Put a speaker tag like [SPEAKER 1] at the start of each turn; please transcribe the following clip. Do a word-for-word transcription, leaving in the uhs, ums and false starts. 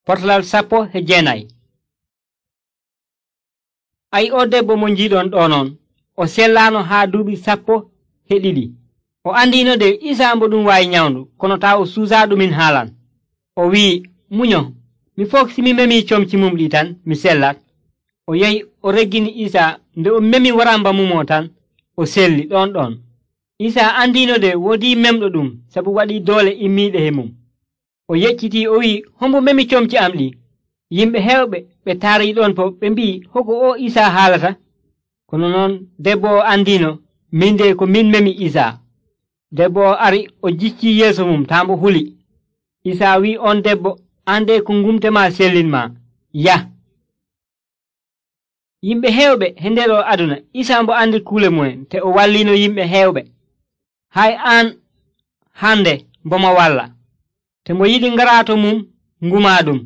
[SPEAKER 1] Potlal sappo e jeenayi. Ay o debbo mo njiiɗon ɗo noon, o sellaano haa duuɓi sappo e ɗiɗi. O andiino de Isaa mbo ɗum waawi nyawndu, kono taa o suusaaɗumin haalan. O wi'i, munyo, mi fof si mi memii comci mum ɗi tan mi sellat. O yahi o reggini Isaa. Nde o memi waramba mumo tan, o selli ɗon ɗon. Isaa andiino de woodii memɗo ɗum sabu waɗii doole immiiɗe e mum. O yeccitii o wi'i, hombo memi comci am ɗi? Yimɓe heewɓe ɓe taarii ɗon fof ɓe mbi'i, hoko o Isaa haalata? Kono noon debbo o andiino, min de ko min memi Isaa. Debbo o ari o jiccii yeeso mum taa mbo huli. Isaa wi'i on debbo, an de ko ngumtema sellinma, yah. Yimɓe heewɓe e nder o aduna, Isaa mbo andi kuule mumen te o walliino yimɓe heewɓe. Hay aan hande mbo mo walla. Te mbo yiɗi ngaraato mum ngumaa ɗum.